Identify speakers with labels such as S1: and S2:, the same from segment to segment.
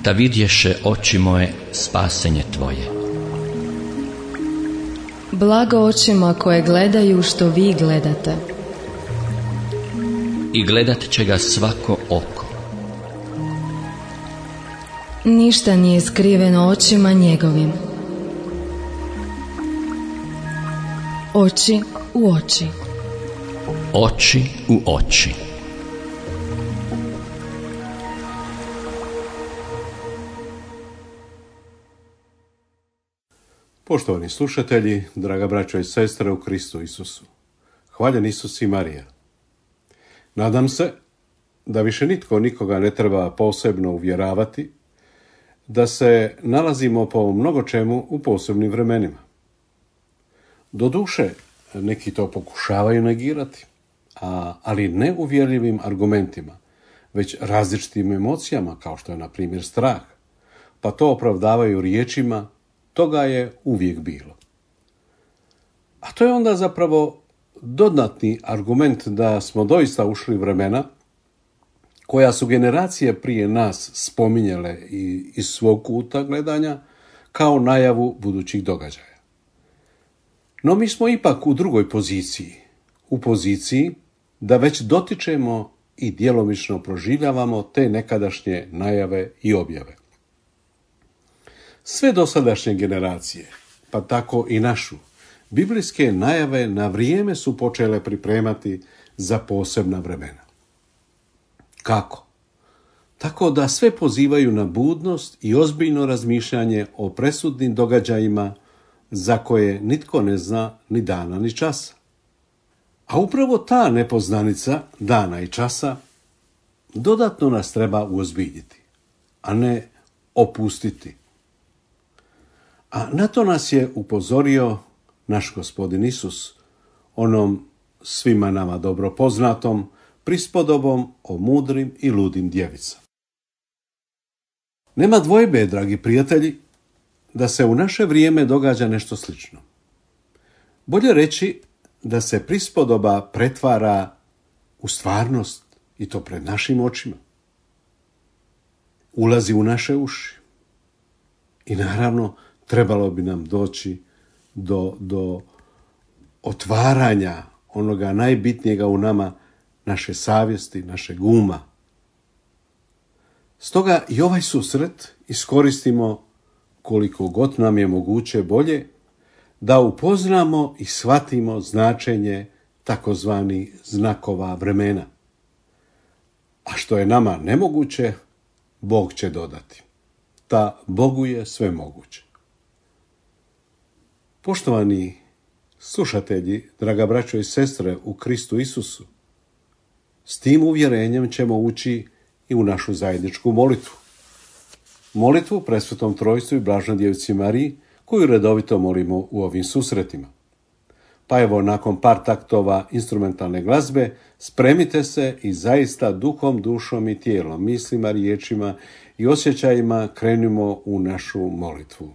S1: da vidješe oči moje spasenje tvoje.
S2: Blago očima koje gledaju što vi gledate.
S1: I gledat će ga svako oko.
S2: Ništa nije skriveno očima njegovim. Oči u oči.
S1: Oči u oči.
S3: Poštovani slušatelji, draga braćo i sestre u Kristu Isusu, hvaljen Isus i Marija. Nadam se da više nitko nikoga ne treba posebno uvjeravati da se nalazimo po mnogo čemu u posebnim vremenima. Doduše, neki to pokušavaju negirati, ali ne uvjerljivim argumentima, već različitim emocijama, kao što je, na primjer, strah, pa to opravdavaju riječima: toga je uvijek bilo. A to je onda zapravo dodatni argument da smo doista ušli u vremena koja su generacije prije nas spominjale i iz svog kuta gledanja kao najavu budućih događaja. No mi smo ipak u drugoj poziciji, u poziciji da već dotičemo i djelomično proživljavamo te nekadašnje najave i objave. Sve dosadašnje generacije, pa tako i našu, biblijske najave na vrijeme su počele pripremati za posebna vremena. Kako? Tako da sve pozivaju na budnost i ozbiljno razmišljanje o presudnim događajima za koje nitko ne zna ni dana ni časa. A upravo ta nepoznanica dana i časa dodatno nas treba uozbiljiti, a ne opustiti. A na to nas je upozorio naš Gospodin Isus, onom svima nama dobro poznatom prispodobom o mudrim i ludim djevicama. Nema dvojbe, dragi prijatelji, da se u naše vrijeme događa nešto slično. Bolje reći da se prispodoba pretvara u stvarnost, i to pred našim očima. Ulazi u naše uši. I naravno, trebalo bi nam doći do otvaranja onoga najbitnijega u nama, naše savjesti, našeg uma. Stoga i ovaj susret iskoristimo koliko god nam je moguće bolje da upoznamo i shvatimo značenje takozvani znakova vremena. A što je nama nemoguće, Bog će dodati. Ta Bogu je sve moguće. Poštovani slušatelji, draga braćo i sestre u Kristu Isusu, s tim uvjerenjem ćemo ući i u našu zajedničku molitvu. Molitvu Presvetom Trojstvu i Blaženoj Djevici Mariji, koju redovito molimo u ovim susretima. Pa evo, nakon par taktova instrumentalne glazbe, spremite se i zaista duhom, dušom i tijelom, mislima, riječima i osjećajima krenimo u našu molitvu.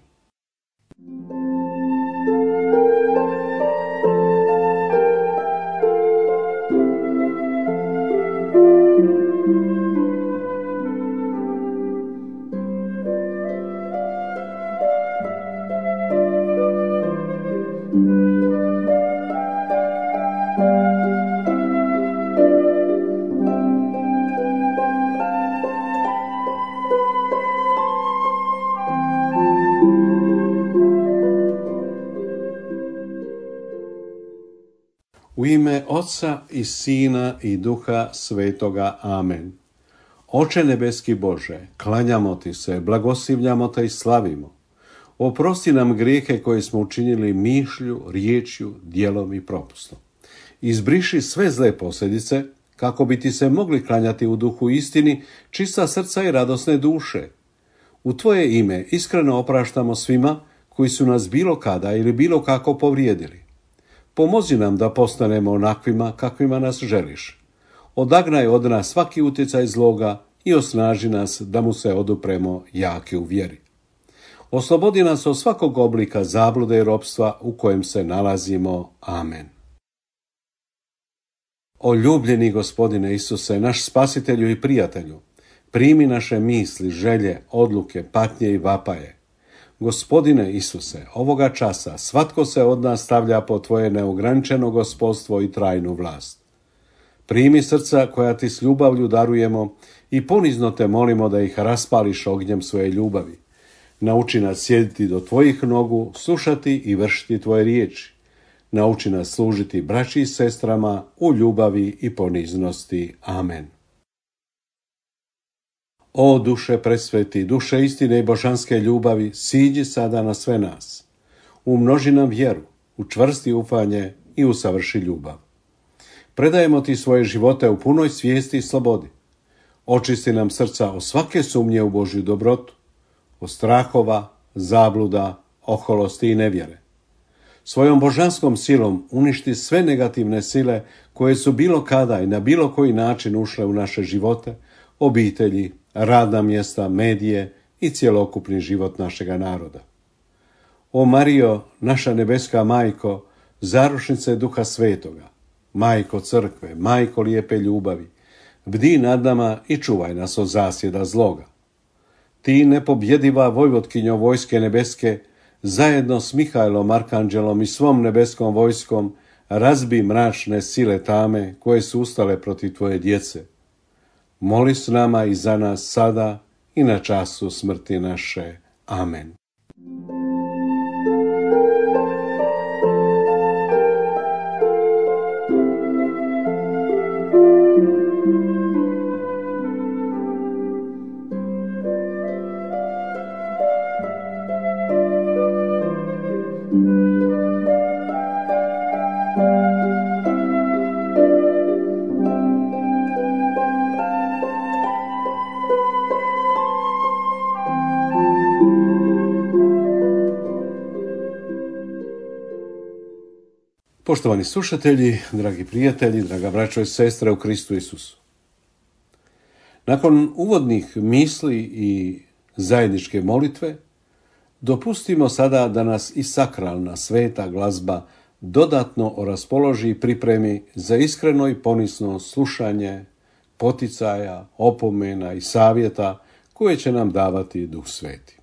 S3: U ime Oca i Sina i Duha Svetoga. Amen. Oče nebeski Bože, klanjamo ti se, blagoslivljamo te i slavimo. Oprosti nam grijehe koje smo učinili mišlju, riječju, djelom i propustom. Izbriši sve zle posljedice, kako bi ti se mogli klanjati u duhu istini, čista srca i radosne duše. U tvoje ime iskreno opraštamo svima koji su nas bilo kada ili bilo kako povrijedili. Pomozi nam da postanemo onakvima kakvima nas želiš. Odagnaj od nas svaki utjecaj zloga i osnaži nas da mu se odupremo jaki u vjeri. Oslobodi nas od svakog oblika zablude i ropstva u kojem se nalazimo. Amen. O ljubljeni Gospodine Isuse, naš spasitelju i prijatelju, Primi naše misli, želje, odluke, patnje i vapaje. Gospodine Isuse, ovoga časa svatko se od nas stavlja pod tvoje neograničeno gospodstvo i trajnu vlast. Primi srca koja ti s ljubavlju darujemo i ponizno te molimo da ih raspališ ognjem svoje ljubavi. Nauči nas sjediti do tvojih nogu, slušati i vršiti tvoje riječi. Nauči nas služiti braći i sestrama u ljubavi i poniznosti. Amen. O duše presveti, duše istine i božanske ljubavi, siđi sada na sve nas. Umnoži nam vjeru, učvrsti ufanje i usavrši ljubav. Predajemo ti svoje živote u punoj svijesti i slobodi. Očisti nam srca od svake sumnje u Božju dobrotu, od strahova, zabluda, oholosti i nevjere. Svojom božanskom silom uništi sve negativne sile koje su bilo kada i na bilo koji način ušle u naše živote, obitelji, radna mjesta, medije i cjelokupni život našega naroda. O Marijo, naša nebeska majko, zaručnice Duha Svetoga, majko crkve, majko lijepe ljubavi, bdi nad nama i čuvaj nas od zasjeda zloga. Ti nepobjediva vojvotkinjo vojske nebeske, zajedno s Mihajlom Arkanđelom i svom nebeskom vojskom, razbi mračne sile tame koje su ustale protiv tvoje djece. Moli s nama i za nas sada i na času smrti naše. Amen. Poštovani slušatelji, dragi prijatelji, draga braćo i sestre u Kristu Isusu. Nakon uvodnih misli i zajedničke molitve, dopustimo sada da nas i sakralna sveta glazba dodatno raspoloži i pripremi za iskreno i ponisno slušanje poticaja, opomena i savjeta koje će nam davati Duh Sveti.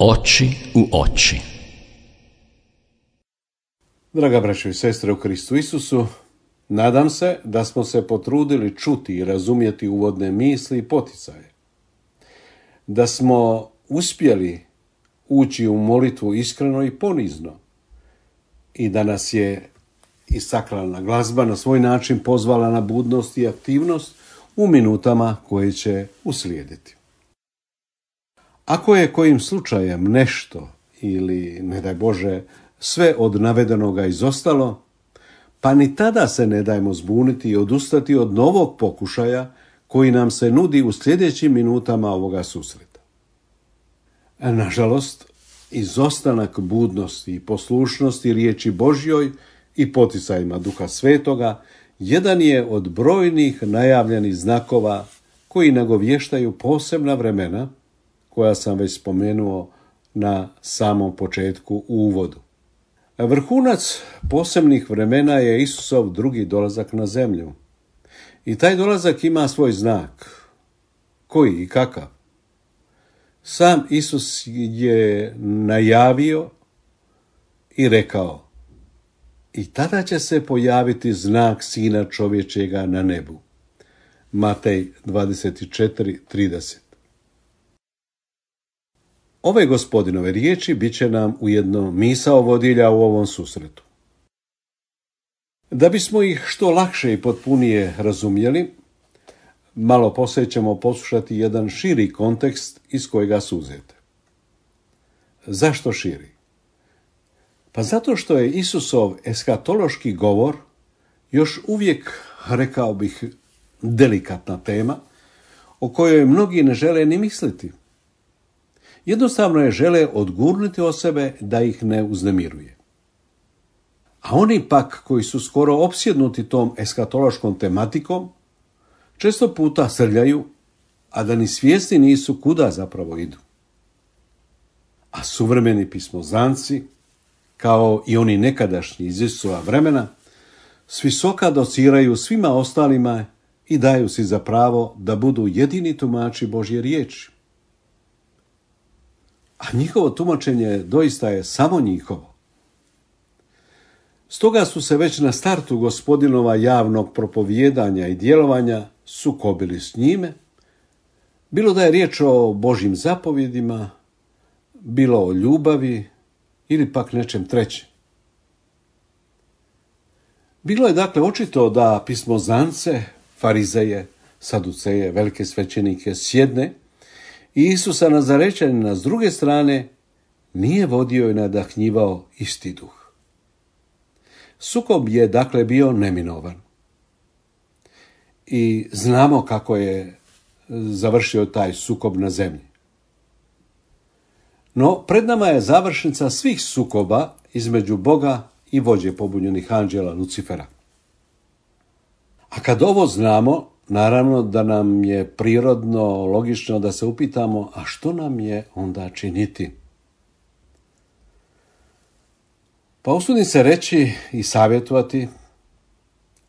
S1: Oči u oči.
S3: Draga braćo i sestre u Kristu Isusu, nadam se da smo se potrudili čuti i razumjeti uvodne misli i poticaje. Da smo uspjeli ući u molitvu iskreno i ponizno i da nas je i sakralna glazba na svoj način pozvala na budnost i aktivnost u minutama koje će uslijediti. Ako je kojim slučajem nešto ili, ne daj Bože, sve od navedenoga izostalo, pa ni tada se ne dajmo zbuniti i odustati od novog pokušaja koji nam se nudi u sljedećim minutama ovoga susreta. Nažalost, izostanak budnosti i poslušnosti riječi Božjoj i poticajima Duha Svetoga jedan je od brojnih najavljenih znakova koji nagovještaju posebna vremena koja sam već spomenuo na samom početku u uvodu. Vrhunac posebnih vremena je Isusov drugi dolazak na zemlju. I taj dolazak ima svoj znak. Koji i kakav? Sam Isus je najavio i rekao: i tada će se pojaviti znak Sina čovječega na nebu. Matej 24:30. Ove Gospodinove riječi bit će nam ujedno misao vodilja u ovom susretu. Da bismo ih što lakše i potpunije razumjeli, malo poslije ćemo poslušati jedan širi kontekst iz kojega su uzete. Zašto širi? Pa zato što je Isusov eskatološki govor još uvijek, rekao bih, delikatna tema o kojoj mnogi ne žele ni misliti. Jednostavno je žele odgurnuti od sebe da ih ne uznemiruje. A oni pak koji su skoro opsjednuti tom eskatološkom tematikom, često puta srljaju, a da ni svjesni nisu kuda zapravo idu. A suvremeni pismoznanci, kao i oni nekadašnji iz Isusova vremena, s visoka dociraju svima ostalima i daju si za pravo da budu jedini tumači Božje riječi. A njihovo tumačenje doista je samo njihovo. Stoga su se već na startu Gospodinova javnog propovijedanja i djelovanja sukobili s njime, bilo da je riječ o Božjim zapovjedima, bilo o ljubavi ili pak nečem trećem. Bilo je dakle očito da pismoznance, farizeje, saduceje, velike svećenike sjedne i Isusa Nazarećanina s druge strane nije vodio i nadahnjivao isti duh. Sukob je dakle bio neminovan. I znamo kako je završio taj sukob na zemlji. No, pred nama je završnica svih sukoba između Boga i vođe pobunjenih anđela Lucifera. A kad ovo znamo, naravno da nam je prirodno, logično da se upitamo, a što nam je onda činiti? Pa usudim se reći i savjetovati,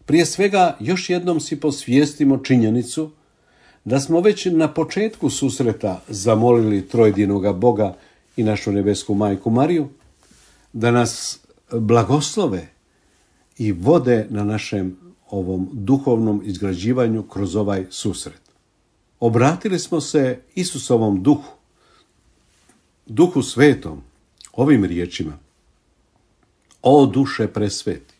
S3: prije svega još jednom si posvijestimo činjenicu da smo već na početku susreta zamolili trojedinoga Boga i našu nebesku majku Mariju da nas blagoslove i vode na našem ovom duhovnom izgrađivanju kroz ovaj susret. Obratili smo se Isusovom duhu, Duhu Svetom, ovim riječima: o duše presveti,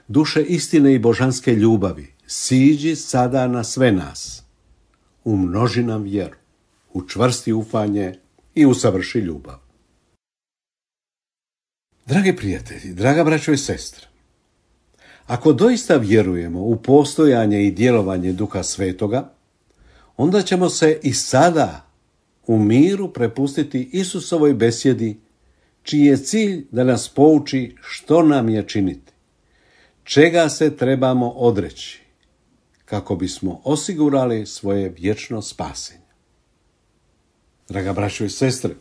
S3: duše istine i božanske ljubavi, siđi sada na sve nas, umnoži nam vjeru, učvrsti ufanje i usavrši ljubav. Dragi prijatelji, draga braćo i sestre, ako doista vjerujemo u postojanje i djelovanje Duha Svetoga, onda ćemo se i sada u miru prepustiti Isusovoj besjedi, čiji je cilj da nas pouči što nam je činiti, čega se trebamo odreći, kako bismo osigurali svoje vječno spasenje. Draga braćo i sestre,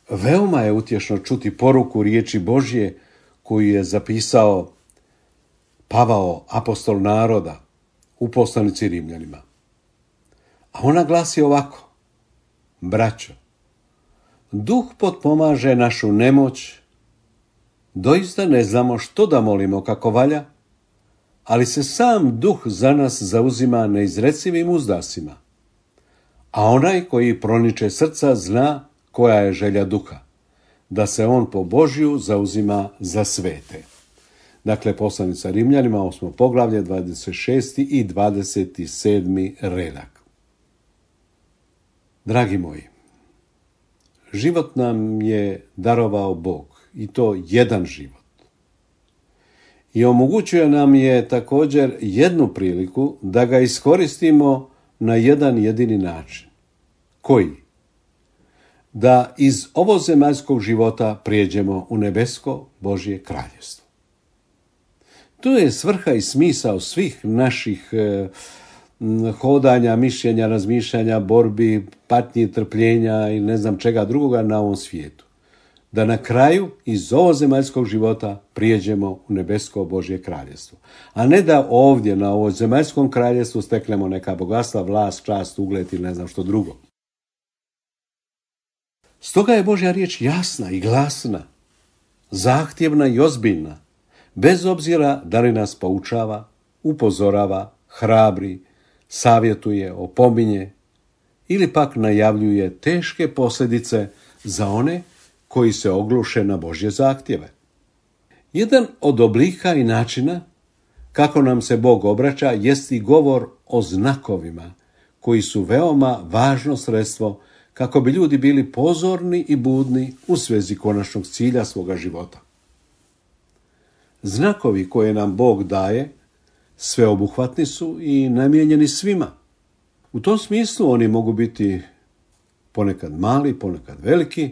S3: veoma je utješno čuti poruku riječi Božje koju je zapisao Pavao, apostol naroda, u poslanici Rimljanima. A ona glasi ovako: braćo, Duh potpomaže našu nemoć. Doista ne znamo što da molimo kako valja, ali se sam Duh za nas zauzima neizrecivim uzdasima. A onaj koji proniče srca zna koja je želja Duha, da se on po Božju zauzima za svete. Dakle, poslanica Rimljanima, 8. poglavlje, 26. i 27. redak. Dragi moji, život nam je darovao Bog, i to jedan život. I omogućuje nam je također jednu priliku da ga iskoristimo na jedan jedini način. Koji? Da iz ovozemaljskog života prijeđemo u nebesko Božje kraljevstvo. To je svrha i smisao svih naših hodanja, mišljenja, razmišljanja, borbi, patnji, trpljenja i ne znam čega drugoga na ovom svijetu. Da na kraju iz ovozemaljskog života prijeđemo u nebesko Božje kraljevstvo. A ne da ovdje na ovozemaljskom kraljevstvu steknemo neka bogatstva, vlast, čast, ugled ili ne znam što drugo. Stoga je Božja riječ jasna i glasna, zahtjevna i ozbiljna, bez obzira da li nas poučava, upozorava, hrabri, savjetuje, opominje ili pak najavljuje teške posljedice za one koji se ogluše na Božje zahtjeve. Jedan od oblika i načina kako nam se Bog obraća jest i govor o znakovima, koji su veoma važno sredstvo kako bi ljudi bili pozorni i budni u svezi konačnog cilja svoga života. Znakovi koje nam Bog daje sveobuhvatni su i namijenjeni svima. U tom smislu oni mogu biti ponekad mali, ponekad veliki,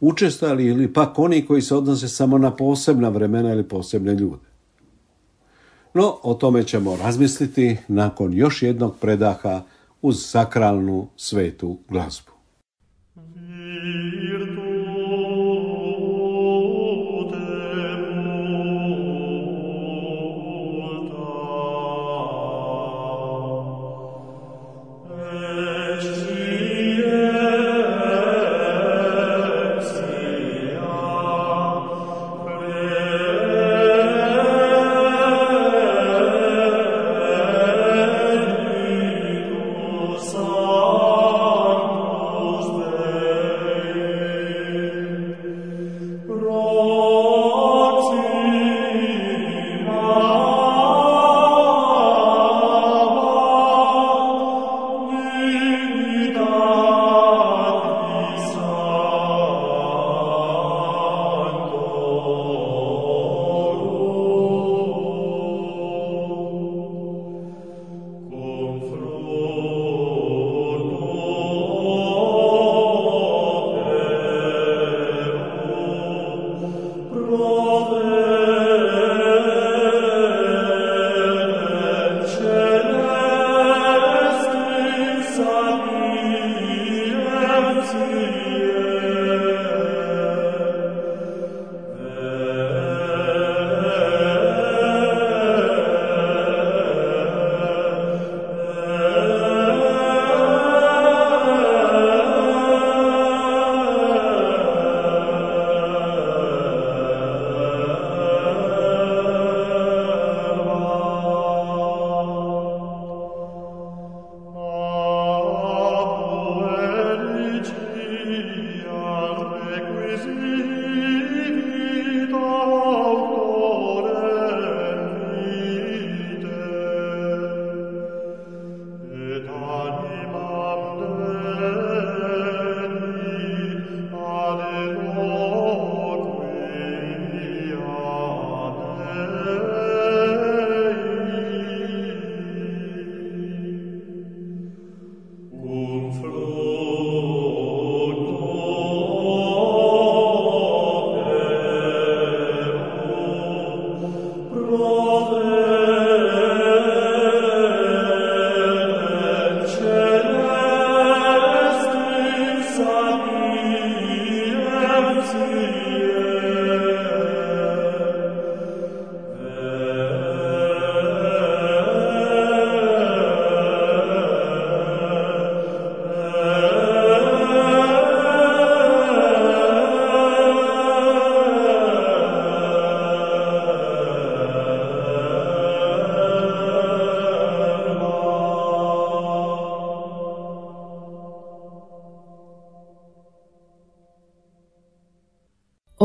S3: učestali ili pak oni koji se odnose samo na posebna vremena ili posebne ljude. No, o tome ćemo razmisliti nakon još jednog predaha uz sakralnu svetu glazbu.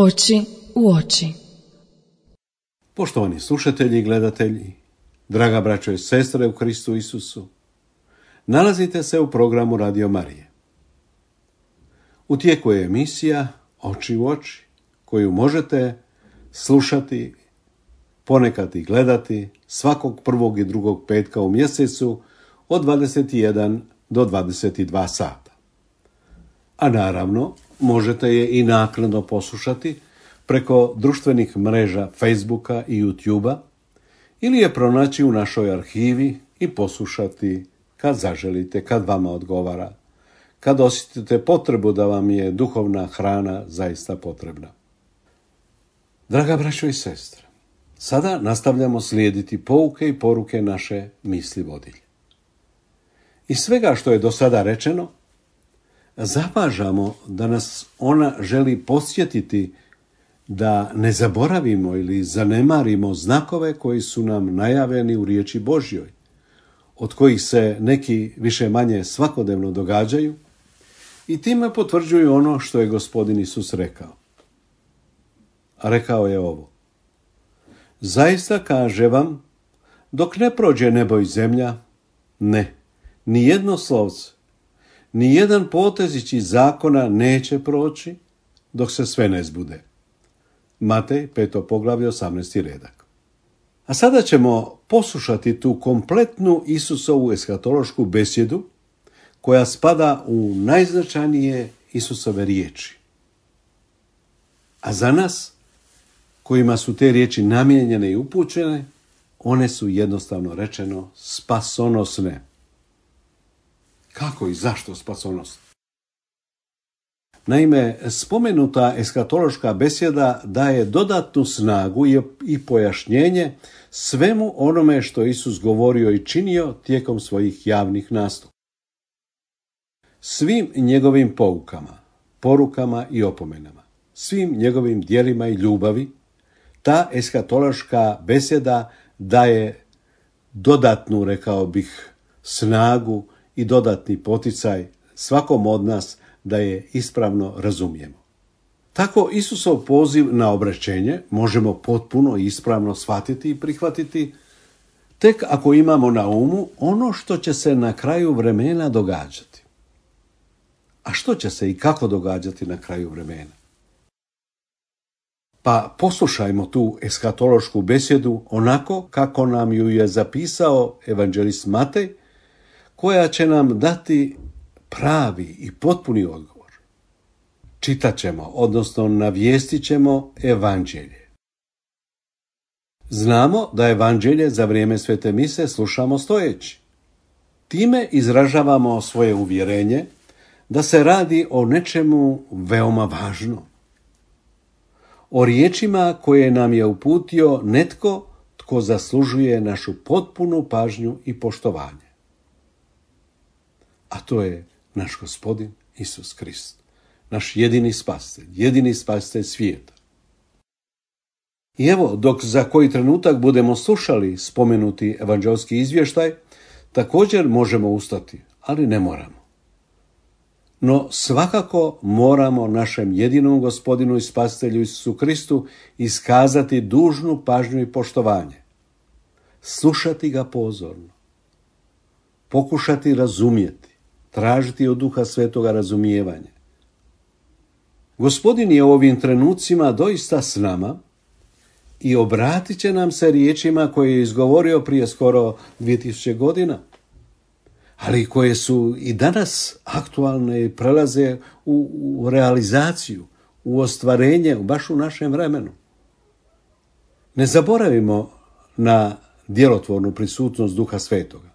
S2: Oči u oči.
S3: Poštovani slušatelji i gledatelji, draga braćo i sestre u Kristu Isusu, nalazite se u programu Radio Marije. U tijeku je emisija Oči u oči, koju možete slušati, ponekad i gledati svakog prvog i drugog petka u mjesecu od 21 do 22 sata. A naravno, možete je i naknadno poslušati preko društvenih mreža Facebooka i YouTubea ili je pronaći u našoj arhivi i poslušati kad zaželite, kad vama odgovara, kad osjetite potrebu da vam je duhovna hrana zaista potrebna. Draga braćo i sestre, sada nastavljamo slijediti pouke i poruke naše misli vodilje. Iz svega što je do sada rečeno, zapažamo da nas ona želi podsjetiti da ne zaboravimo ili zanemarimo znakove koji su nam najavljeni u riječi Božjoj, od kojih se neki više manje svakodnevno događaju i time potvrđuju ono što je Gospodin Isus rekao. A rekao je ovo: zaista kaže vam, dok ne prođe nebo i zemlja, ne, ni jedno slovce, ni jedan potezić iz zakona neće proći dok se sve ne zbude. Matej, 5. poglavlje, 18. redak. A sada ćemo poslušati tu kompletnu Isusovu eskatološku besjedu koja spada u najznačajnije Isusove riječi. A za nas, kojima su te riječi namijenjene i upućene, one su jednostavno rečeno spasonosne. Kako i zašto spasonosne? Naime, spomenuta eskatološka besjeda daje dodatnu snagu i pojašnjenje svemu onome što je Isus govorio i činio tijekom svojih javnih nastupa. Svim njegovim poukama, porukama i opomenama, svim njegovim djelima i ljubavi, ta eskatološka besjeda daje dodatnu, rekao bih, snagu i dodatni poticaj svakom od nas da je ispravno razumijemo. Tako Isusov poziv na obraćenje možemo potpuno i ispravno shvatiti i prihvatiti tek ako imamo na umu ono što će se na kraju vremena događati. A što će se i kako događati na kraju vremena? Pa poslušajmo tu eskatološku besjedu onako kako nam ju je zapisao evanđelist Matej, koja će nam dati pravi i potpuni odgovor. Čitat ćemo, odnosno navijestit ćemo evanđelje. Znamo da evanđelje za vrijeme svete mise slušamo stojeći. Time izražavamo svoje uvjerenje da se radi o nečemu veoma važnom. O riječima koje nam je uputio netko tko zaslužuje našu potpunu pažnju i poštovanje. A to je naš Gospodin Isus Krist, naš jedini spasitelj svijeta. I evo, dok za koji trenutak budemo slušali spomenuti evanđelski izvještaj, također možemo ustati, ali ne moramo. No svakako moramo našem jedinom Gospodinu i spasitelju Isusu Kristu iskazati dužnu pažnju i poštovanje. Slušati ga pozorno. Pokušati razumjeti. Tražiti od Duha Svetoga razumijevanje. Gospodin je u ovim trenucima doista s nama i obratit će nam se riječima koje je izgovorio prije skoro 2000 godina, ali koje su i danas aktualne i prelaze u realizaciju, u ostvarenje, baš u našem vremenu. Ne zaboravimo na djelotvornu prisutnost Duha Svetoga.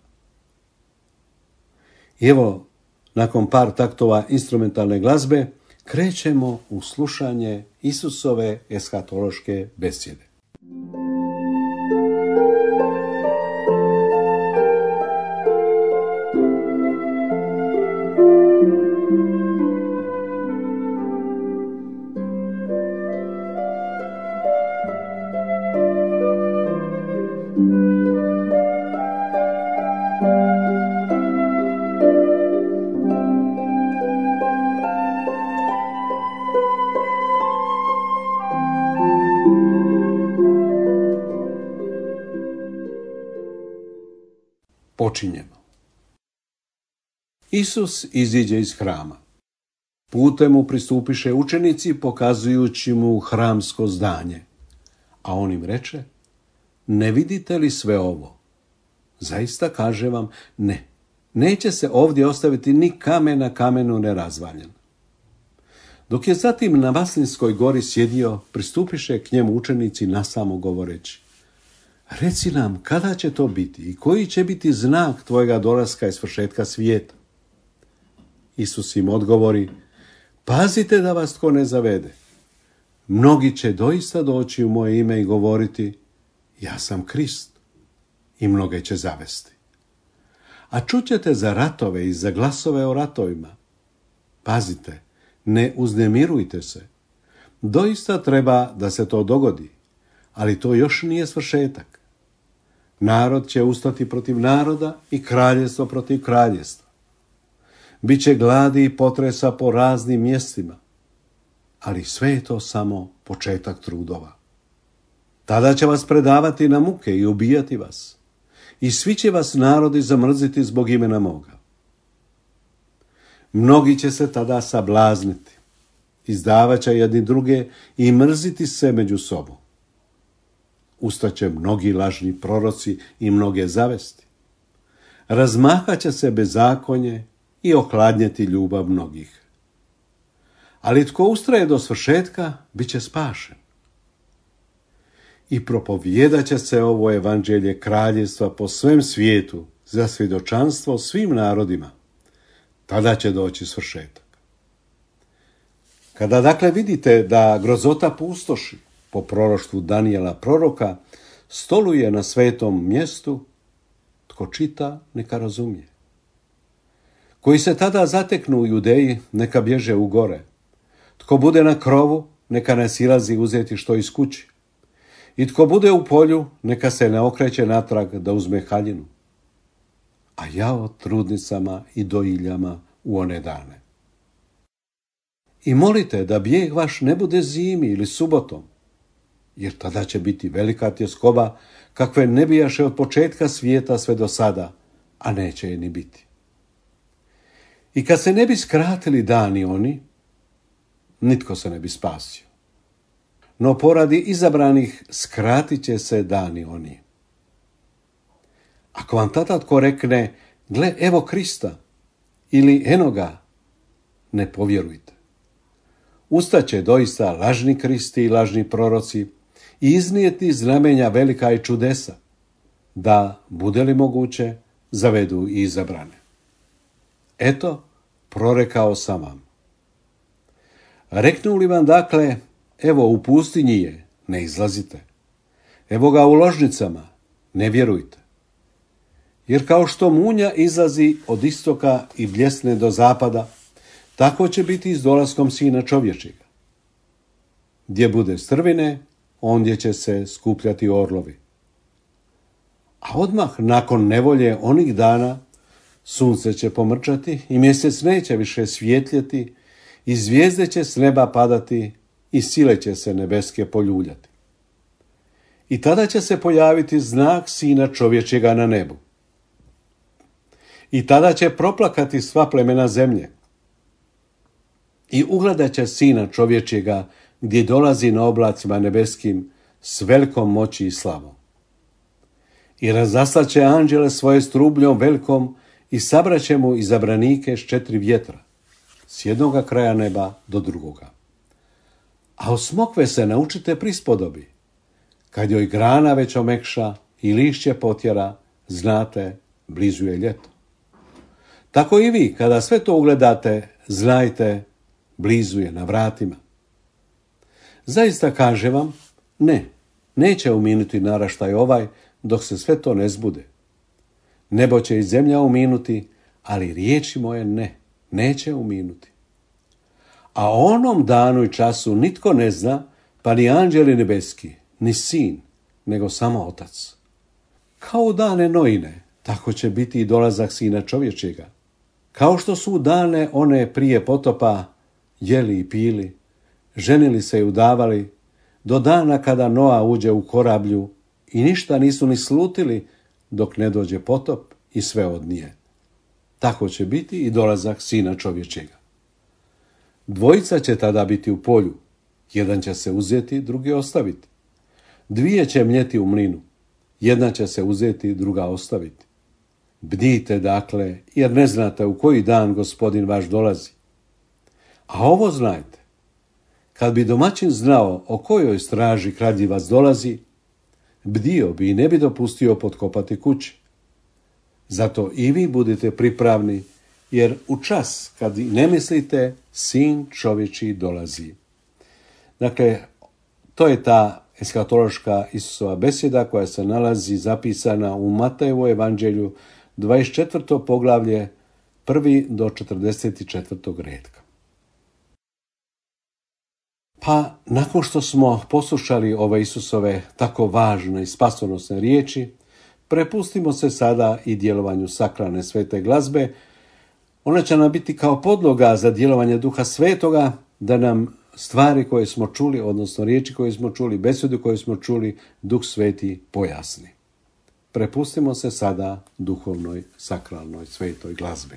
S3: I evo, nakon par taktova instrumentalne glazbe, krećemo u slušanje Isusove eskatološke besjede. Počinjemo. Isus iziđe iz hrama. Putem mu pristupiše učenici pokazujući mu hramsko zdanje. A on im reče: ne vidite li sve ovo? Zaista kažem vam, ne. Neće se ovdje ostaviti ni kamen na kamenu nerazvaljen. Dok je zatim na Maslinskoj gori sjedio, pristupiše k njemu učenici nasamo govoreći: reci nam kada će to biti i koji će biti znak tvojega dolaska i svršetka svijeta. Isus im odgovori: pazite da vas tko ne zavede. Mnogi će doista doći u moje ime i govoriti: ja sam Krist. I mnoge će zavesti. A čućete za ratove i za glasove o ratovima. Pazite, ne uznemirujte se. Doista treba da se to dogodi, ali to još nije svršetak. Narod će ustati protiv naroda i kraljevstvo protiv kraljevstva. Biće gladi i potresa po raznim mjestima, ali sve je to samo početak trudova. Tada će vas predavati na muke i ubijati vas, i svi će vas narodi zamrziti zbog imena moga. Mnogi će se tada sablazniti, izdavat će jedni druge i mrziti se među sobom. Ustaće mnogi lažni proroci i mnoge zavesti. Razmahat će se bezakonje i ohladnjeti ljubav mnogih. Ali tko ustraje do svršetka, bit će spašen. I propovijedat će se ovo evanđelje kraljevstva po svem svijetu za svjedočanstvo svim narodima. Tada će doći svršetak. Kada dakle vidite da grozota pustoši, po proroštvu Danijela proroka, stoluje na svetom mjestu, tko čita, neka razumije. Koji se tada zateknu u Judeji, neka bježe u gore. Tko bude na krovu, neka ne silazi uzeti što iz kući. I tko bude u polju, neka se ne okreće natrag da uzme haljinu. A jao trudnicama i dojiljama u one dane. I molite da bijeg vaš ne bude zimi ili subotom, jer tada će biti velika tjeskoba kakve ne bijaše od početka svijeta sve do sada, a neće je ni biti. I kad se ne bi skratili dani oni, nitko se ne bi spasio. No poradi izabranih skratit će se dani oni. Ako vam tada tko rekne: gle, evo Krista, ili eno ga, ne povjerujte. Ustaće doista lažni Kristi i lažni proroci i iznijeti znamenja velika i čudesa, da, bude li moguće, zavedu i izabrane. Eto, prorekao sam vam. Reknu li vam dakle: evo u pustinji je, ne izlazite. Evo ga u ložnicama, ne vjerujte. Jer kao što munja izlazi od istoka i bljesne do zapada, tako će biti i s dolaskom Sina čovječjega. Gdje bude strvine, ondje će se skupljati orlovi. A odmah nakon nevolje onih dana sunce će pomrčati i mjesec neće više svjetljeti i zvijezde će s neba padati i sile će se nebeske poljuljati. I tada će se pojaviti znak Sina čovječjega na nebu. I tada će proplakati sva plemena zemlje. I ugledat će Sina čovječjega gdje dolazi na oblacima nebeskim s velikom moći i slavom. I razaslaće anđele svoje s trubljom velikom i sabraće mu izabranike s 4 vjetra, s jednoga kraja neba do drugoga. A od smokve se naučite prispodobi. Kad joj grana već omekša i lišće potjera, znate, blizu je ljeto. Tako i vi, kada sve to ugledate, znajte, blizu je na vratima. Zaista kažem vam, neće uminuti naraštaj ovaj, dok se sve to ne zbude. Nebo će i zemlja uminuti, ali riječi moje neće uminuti. A o onom danu i času nitko ne zna, pa ni anđeli nebeski, ni sin, nego samo Otac. Kao u dane Noine, tako će biti i dolazak Sina čovječjega. Kao što su u dane one prije potopa jeli i pili, ženili se i udavali, do dana kada Noa uđe u korablju i ništa nisu ni slutili dok ne dođe potop i sve od nje. Tako će biti i dolazak Sina čovječega. Dvojica će tada biti u polju. Jedan će se uzeti, drugi ostaviti. Dvije će mljeti u mlinu. Jedna će se uzeti, druga ostaviti. Bdijte dakle, jer ne znate u koji dan Gospodin vaš dolazi. A ovo znajte, kad bi domaćin znao o kojoj straži kradljivac dolazi, bdio bi i ne bi dopustio potkopati kući. Zato i vi budite pripravni, jer u čas kad ne mislite, Sin čovječji dolazi. Dakle, to je ta eskatološka Isusova besjeda koja se nalazi zapisana u Matejevu evanđelju 24. poglavlje 1. do 44. retka. Pa, nakon što smo poslušali ove Isusove tako važne i spasonosne riječi, prepustimo se sada i djelovanju sakralne svete glazbe. Ona će nam biti kao podloga za djelovanje Duha Svetoga, da nam stvari koje smo čuli, odnosno riječi koje smo čuli, besedu koju smo čuli, Duh Sveti pojasni. Prepustimo se sada duhovnoj, sakralnoj, svetoj glazbi.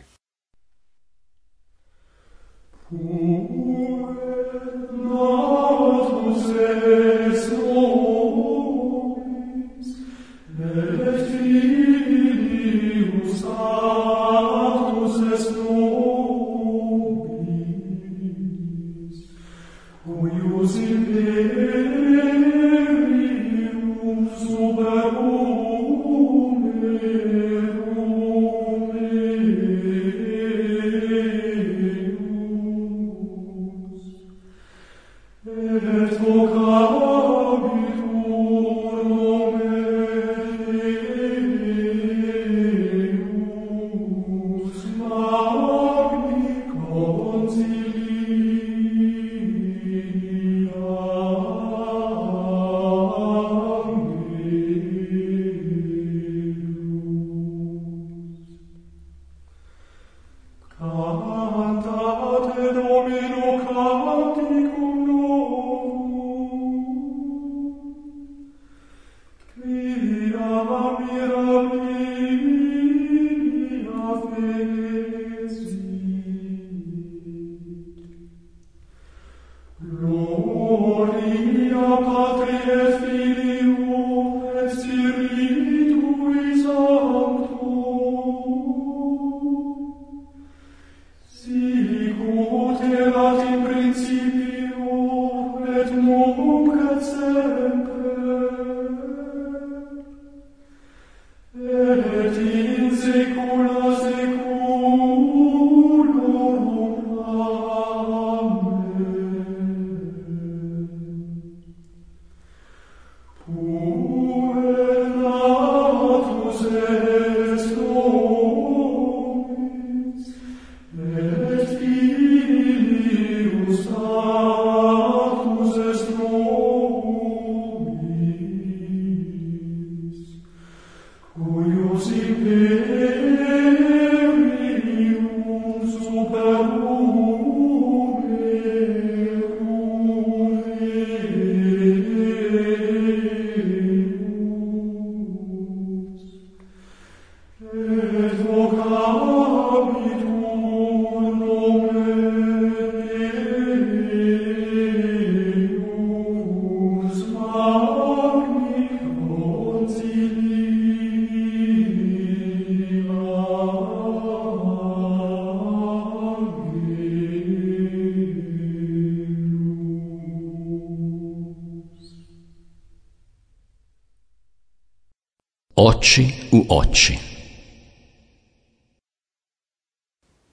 S1: Oči u oči.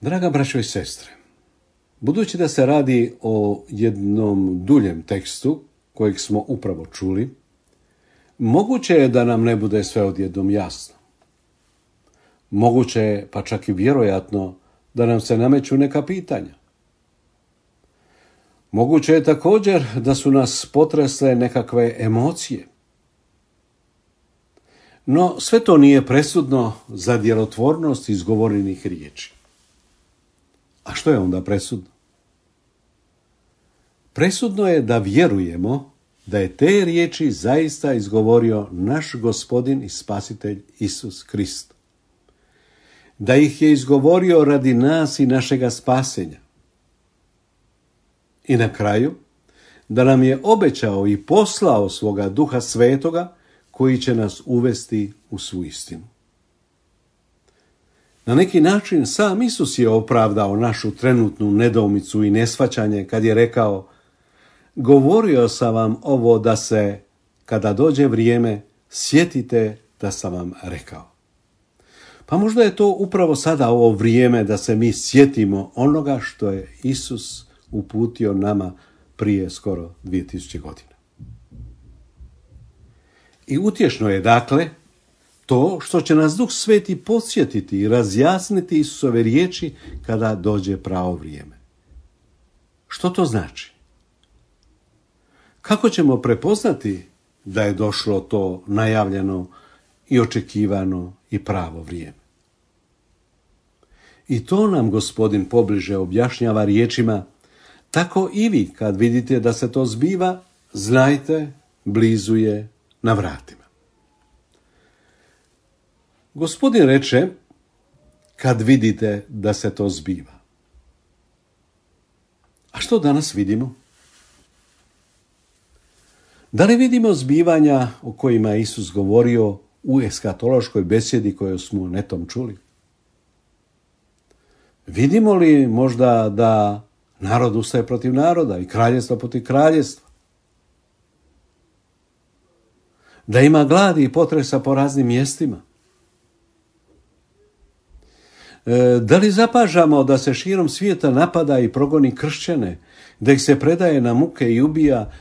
S3: Draga braćo i sestre, budući da se radi o jednom duljem tekstu kojeg smo upravo čuli, moguće je da nam ne bude sve odjednom jasno. Moguće je, pa čak i vjerojatno, da nam se nameću neka pitanja. Moguće je također da su nas potresle nekakve emocije. No, sve to nije presudno za djelotvornost izgovorenih riječi. A što je onda presudno? Presudno je da vjerujemo da je te riječi zaista izgovorio naš Gospodin i Spasitelj Isus Krist. da ih je izgovorio radi nas i našega spasenja. I na kraju, da nam je obećao i poslao svoga Duha Svetoga koji će nas uvesti u svu istinu. Na neki način sam Isus je opravdao našu trenutnu nedoumicu i neshvaćanje kad je rekao: govorio sam vam ovo da se, kada dođe vrijeme, sjetite da sam vam rekao. Pa možda je to upravo sada ovo vrijeme da se mi sjetimo onoga što je Isus uputio nama prije skoro 2000 godina. I utješno je dakle to što će nas Duh Sveti podsjetiti i razjasniti Isusove riječi kada dođe pravo vrijeme. Što to znači? Kako ćemo prepoznati da je došlo to najavljeno i očekivano i pravo vrijeme? I to nam Gospodin pobliže objašnjava riječima: tako i vi kad vidite da se to zbiva, znajte, blizu je na vratima. Gospodin reče: kad vidite da se to zbiva. A što danas vidimo? Da li vidimo zbivanja o kojima je Isus govorio u eskatološkoj besjedi koju smo netom čuli? Vidimo li možda da narod ustaje protiv naroda i kraljestvo protiv kraljestva? Da ima gladi i potresa po raznim mjestima? Da li zapažamo da se širom svijeta napada i progoni kršćane, da ih se predaje na muke i ubija,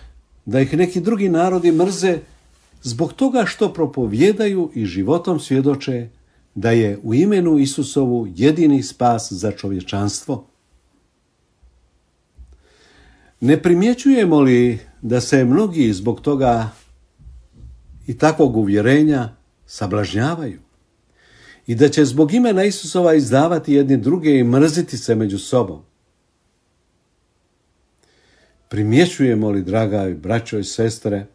S3: da ih neki drugi narodi mrze zbog toga što propovijedaju i životom svjedoče da je u imenu Isusovu jedini spas za čovječanstvo? Ne primjećujemo li da se mnogi zbog toga i takvog uvjerenja sablažnjavaju i da će zbog imena Isusova izdavati jedni druge i mrziti se među sobom? Primjećujemo li, draga braćo i sestre,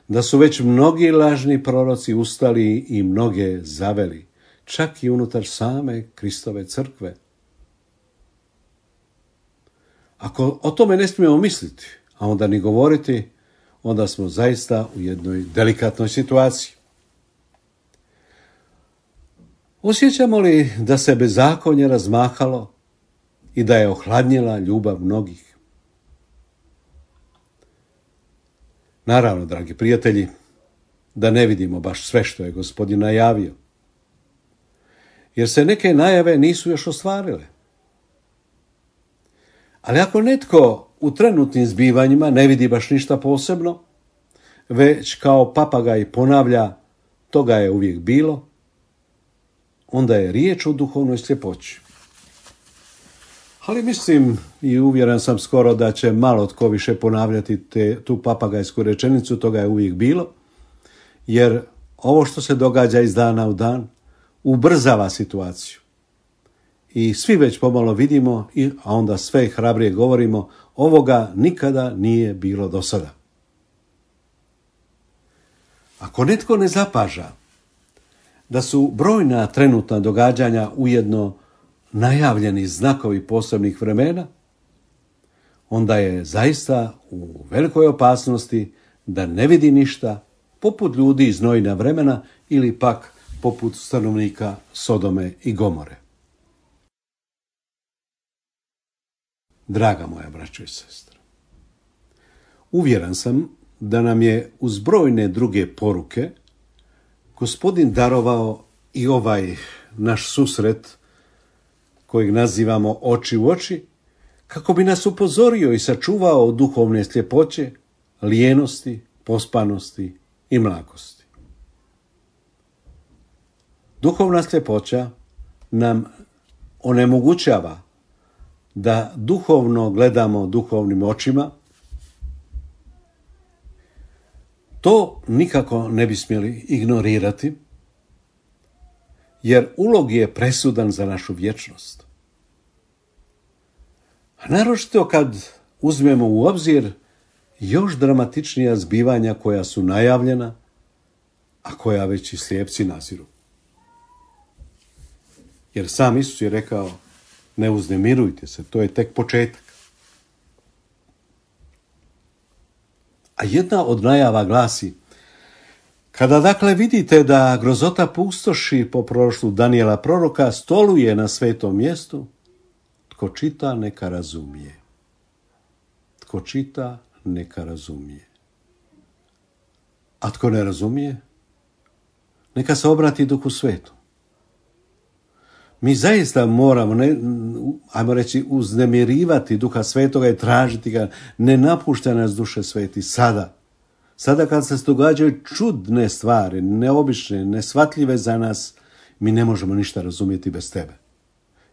S3: da su već mnogi lažni proroci ustali i mnoge zaveli, čak i unutar same Kristove crkve? Ako o tome ne smijemo misliti, a onda ni govoriti, onda smo zaista u jednoj delikatnoj situaciji. Osjećamo li da se bezakonje razmahalo i da je ohladnjela ljubav mnogih? Naravno, dragi prijatelji, da ne vidimo baš sve što je Gospodin najavio, jer se neke najave nisu još ostvarile. Ali ako netko u trenutnim zbivanjima ne vidi baš ništa posebno, već kao papagaj ponavlja toga je uvijek bilo, onda je riječ o duhovnoj sljepoći. Ali mislim i uvjeren sam skoro da će malo tko više ponavljati tu papagajsku rečenicu, toga je uvijek bilo, jer ovo što se događa iz dana u dan ubrzava situaciju. I svi već pomalo vidimo, a onda sve hrabrije govorimo, ovoga nikada nije bilo do sada. Ako netko ne zapaža da su brojna trenutna događanja ujedno najavljeni znakovi posebnih vremena, onda je zaista u velikoj opasnosti da ne vidi ništa, poput ljudi iz Noina vremena ili pak poput stanovnika Sodome i Gomore. Draga moja braćo i sestre, uvjeren sam da nam je uz brojne druge poruke Gospodin darovao i ovaj naš susret kojeg nazivamo oči u oči, kako bi nas upozorio i sačuvao od duhovne sljepoće, lijenosti, pospanosti i mlakosti. Duhovna sljepoća nam onemogućava da duhovno gledamo duhovnim očima. To nikako ne bi smjeli ignorirati, jer ulog je presudan za našu vječnost. A naročito kad uzmemo u obzir još dramatičnija zbivanja koja su najavljena, a koja već i slijepci naziru. Jer sam Isus je rekao, ne uznemirujte se, to je tek početak. A jedna od najava glasi, kada dakle vidite da grozota pustoši po proroštvu Danijela proroka stoluje na svetom mjestu, tko čita neka razumije. Tko čita neka razumije. A tko ne razumije, neka se obrati Duhu Svetom. Mi zaista moramo, ajmo reći, uznemirivati Duha Svetoga i tražiti ga, ne napušta nas Duše Sveti sada. Sada kad se događaju čudne stvari, neobične, neshvatljive za nas, mi ne možemo ništa razumjeti bez tebe.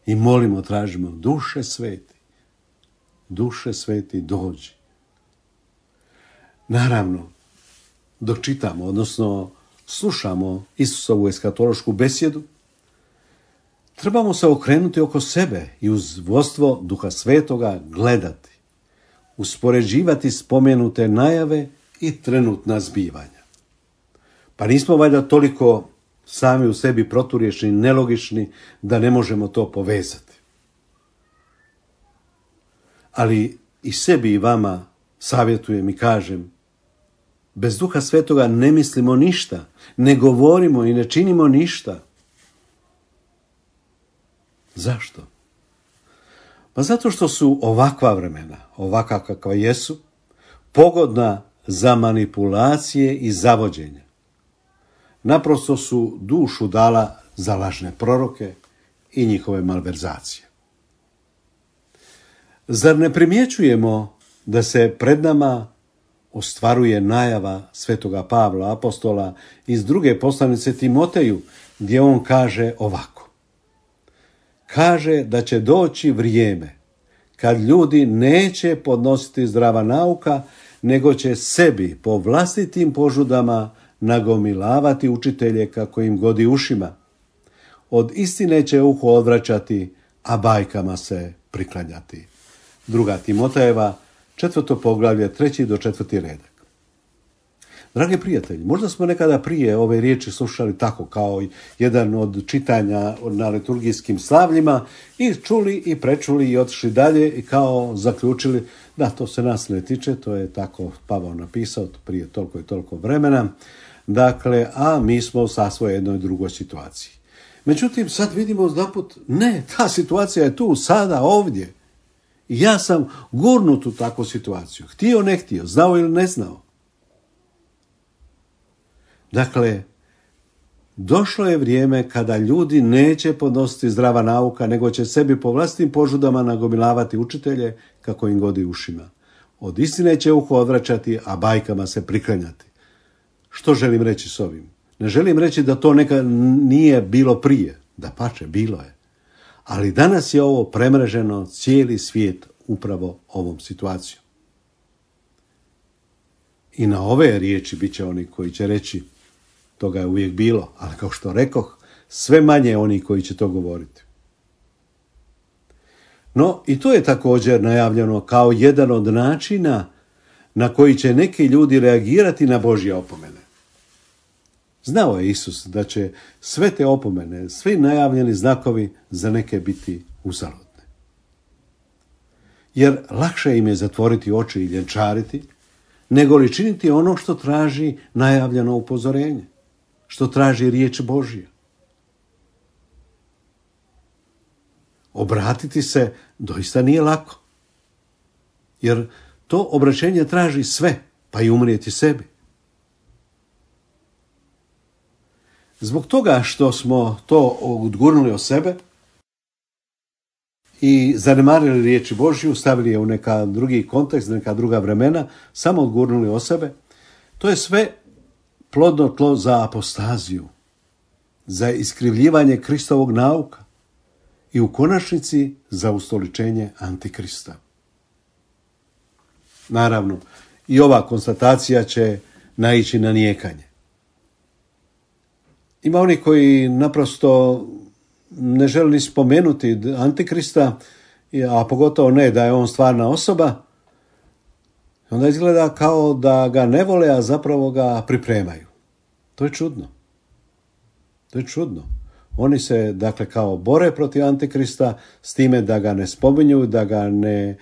S3: I molimo, tražimo, Duše Sveti, dođi. Naravno, dok čitamo, odnosno slušamo Isusovu eskatološku besjedu, trebamo se okrenuti oko sebe i uz vodstvo Duha Svetoga gledati, uspoređivati spomenute najave i trenutna zbivanja. Pa nismo valjda toliko sami u sebi proturječni, nelogični, da ne možemo to povezati. Ali i sebi i vama savjetujem i kažem, bez Duha Svetoga ne mislimo ništa, ne govorimo i ne činimo ništa. Zašto? Pa zato što su ovakva vremena, ovakva kakva jesu, pogodna za manipulacije i zavođenje. Naprosto su dušu dala za lažne proroke i njihove malverzacije. Zar ne primjećujemo da se pred nama ostvaruje najava svetoga Pavla, apostola, iz druge poslanice Timoteju, gdje on kaže ovako. Kaže da će doći vrijeme kad ljudi neće podnositi zdrava nauka, nego će sebi po vlastitim požudama nagomilavati učitelje kako im godi ušima. Od istine će uho odvraćati, a bajkama se priklanjati. 2. Timotejeva, 4. poglavlje, 3. do 4. redak. Dragi prijatelji, možda smo nekada prije ove riječi slušali tako kao jedan od čitanja na liturgijskim slavljima i čuli i prečuli i otišli dalje i kao zaključili da to se nas ne tiče, to je tako Pavao napisao prije toliko i toliko vremena, dakle, a mi smo sasvim u jednoj drugoj situaciji. Međutim, sad vidimo odjedanput, ne, ta situacija je tu, sada, ovdje. I ja sam gurnut u takvu situaciju, htio, ne htio, znao ili ne znao. Dakle, došlo je vrijeme kada ljudi neće podnositi zdrava nauka, nego će sebi po vlastitim požudama nagomilavati učitelje kako im godi ušima. Od istine će uho odvraćati, a bajkama se priklanjati. Što želim reći s ovim? Ne želim reći da to nekad nije bilo prije. Dapače, bilo je. Ali danas je ovo premreženo cijeli svijet upravo ovom situacijom. I na ove riječi bit će oni koji će reći toga je uvijek bilo, ali kao što rekoh, sve manje oni koji će to govoriti. No, i to je također najavljeno kao jedan od načina na koji će neki ljudi reagirati na Božje opomene. Znao je Isus da će sve te opomene, svi najavljeni znakovi za neke biti uzaludne. Jer lakše im je zatvoriti oči i ljenčariti, nego li činiti ono što traži najavljeno upozorenje, što traži riječ Božja. Obratiti se doista nije lako, jer to obraćenje traži sve, pa i umrijeti sebi. Zbog toga što smo to odgurnuli od sebe i zanemarili riječi Božju, stavili je u neka drugi kontekst, neka druga vremena, samo odgurnuli od sebe, to je sve plodno tlo za apostaziju, za iskrivljivanje Kristovog nauka i u konačnici za ustoličenje Antikrista. Naravno, i ova konstatacija će naići na nijekanje. Ima oni koji naprosto ne žele ni spomenuti Antikrista, a pogotovo ne da je on stvarna osoba, onda izgleda kao da ga ne vole, a zapravo ga pripremaju. To je čudno. To je čudno. Oni se, dakle, kao bore protiv Antikrista s time da ga ne spominju, da ga ne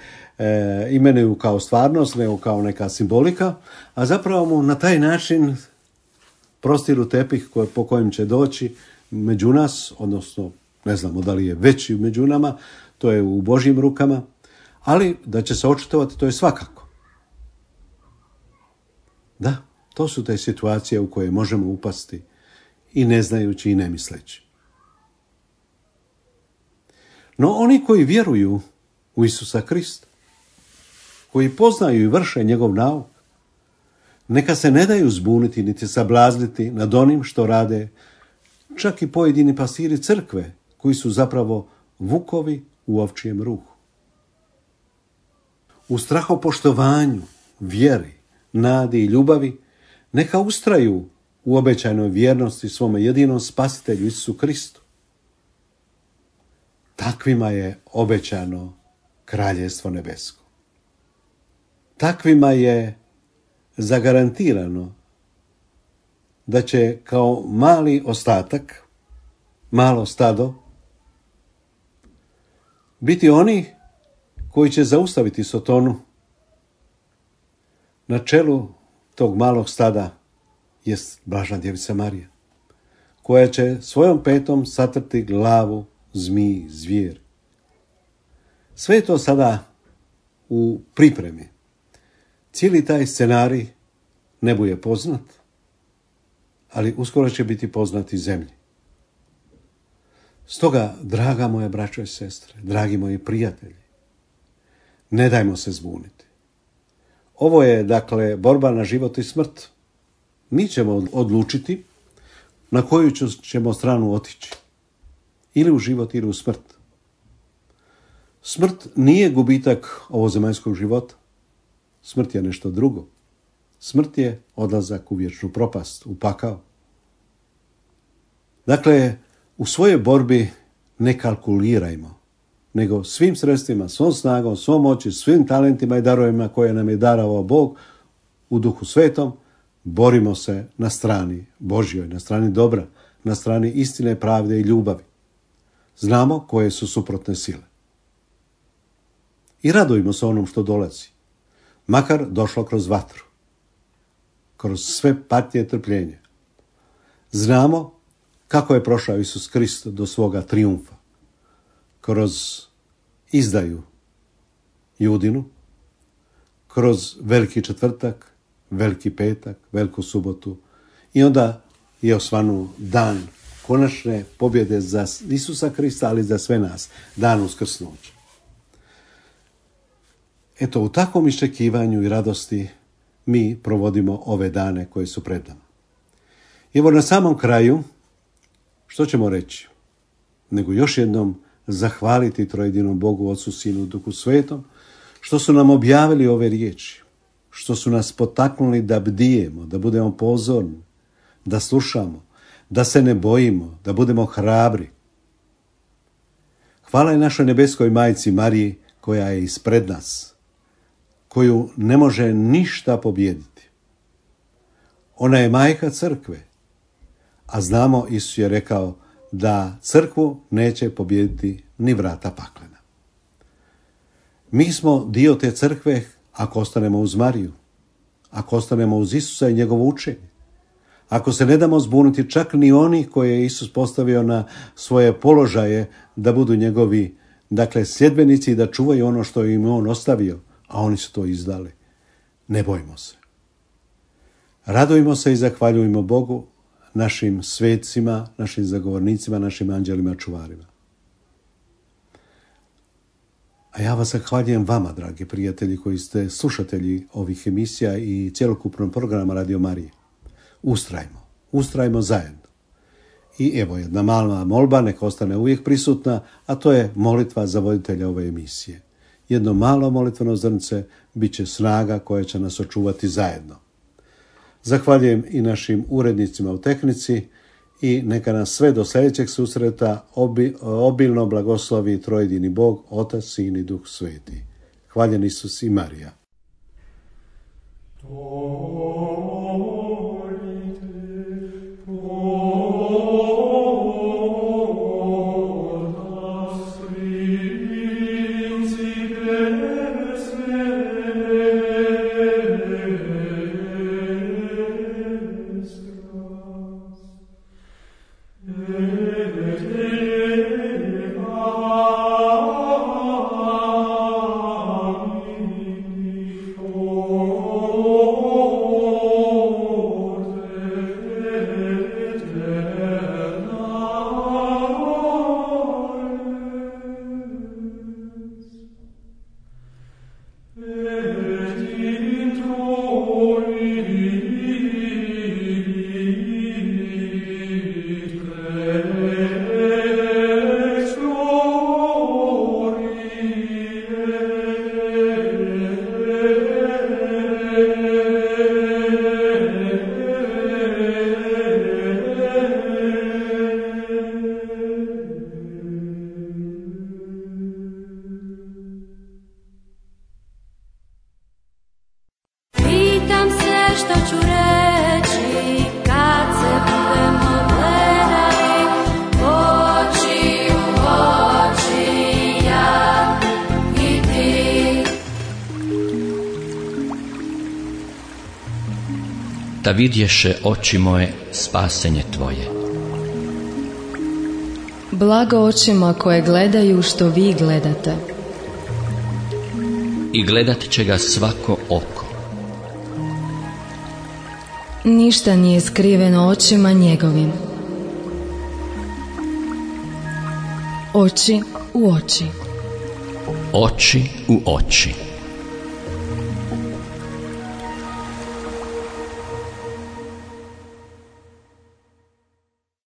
S3: imenuju kao stvarnost, nego kao neka simbolika, a zapravo mu na taj način prostiru tepih po kojem će doći među nas, odnosno ne znamo da li je već među nama, to je u Božjim rukama, ali da će se očitovati, to je svakako. Da, to su te situacije u koje možemo upasti i ne znajući i ne misleći. No oni koji vjeruju u Isusa Krista, koji poznaju i vrše njegov nauk, neka se ne daju zbuniti niti sablazniti nad onim što rade čak i pojedini pastiri crkve, koji su zapravo vukovi u ovčijem ruhu. U strahopoštovanju, vjeri, nadi i ljubavi neka ustraju u obećanoj vjernosti svome jedinom spasitelju Isusu Kristu. Takvima je obećano kraljevstvo nebesko. Takvima je zagarantirano da će kao mali ostatak, malo stado, biti oni koji će zaustaviti Sotonu. Na čelu tog malog stada jest Blažna djevica Marija, koja će svojom petom satrti glavu zmiji, zvijer. Sve je to sada u pripremi. Cijeli taj scenarij nebu je poznat, ali uskoro će biti poznat i zemlji. Stoga, draga moja braćo i sestre, dragi moji prijatelji, ne dajmo se zbuniti. Ovo je, dakle, borba na život i smrt. Mi ćemo odlučiti na koju ćemo stranu otići. Ili u život, ili u smrt. Smrt nije gubitak ovozemaljskog života. Smrt je nešto drugo. Smrt je odlazak u vječnu propast, u pakao. Dakle, u svojoj borbi ne kalkulirajmo, nego svim sredstvima, svom snagom, svom moći, svim talentima i darovima koje nam je darovao Bog u Duhu Svetom, borimo se na strani Božjoj, na strani dobra, na strani istine, pravde i ljubavi. Znamo koje su suprotne sile. I radujmo se onom što dolazi, makar došlo kroz vatru, kroz sve patnje i trpljenje. Znamo kako je prošao Isus Krist do svoga trijumfa, kroz izdaju Judinu, kroz veliki četvrtak, veliki petak, veliku subotu i onda je osvanuo dan konačne pobjede za Isusa Krista, ali za sve nas, dan uskrsnuća. Eto, u takvom iščekivanju i radosti mi provodimo ove dane koje su pred nama. I evo na samom kraju, što ćemo reći? Nego još jednom zahvaliti trojedinom Bogu, Otcu, Sinu, Duhu Svetom, što su nam objavili ove riječi, što su nas potaknuli da bdijemo, da budemo pozorni, da slušamo, da se ne bojimo, da budemo hrabri. Hvala je našoj nebeskoj majci Mariji koja je ispred nas, koju ne može ništa pobijediti. Ona je majka crkve, a znamo, Isus je rekao da crkvu neće pobijediti ni vrata paklena. Mi smo dio te crkve ako ostanemo uz Mariju, ako ostanemo uz Isusa i njegovo učenje, ako se ne damo zbuniti čak ni oni koje je Isus postavio na svoje položaje da budu njegovi, dakle, sljedbenici i da čuvaju ono što im on ostavio, a oni su to izdali. Ne bojimo se. Radujmo se i zahvaljujmo Bogu, našim svetcima, našim zagovornicima, našim anđelima čuvarima. A ja vas zahvaljujem vama, dragi prijatelji, koji ste slušatelji ovih emisija i cjelokupnog programa Radio Marije. Ustrajmo zajedno. I evo jedna mala molba, neka ostane uvijek prisutna, a to je molitva za voditelja ove emisije. Jedno malo molitveno zrnce bit će snaga koja će nas očuvati zajedno. Zahvaljujem i našim urednicima u tehnici i neka nas sve do sljedećeg susreta obilno blagoslovi trojedini Bog, Otac, Sin i Duh Sveti. Hvaljen Isus i Marija.
S1: Da vidješe oči moje spasenje tvoje.
S2: Blago očima koje gledaju što vi gledate.
S1: I gledat će ga svako oko.
S2: Ništa nije skriveno očima njegovim. Oči u oči.
S1: Oči u oči.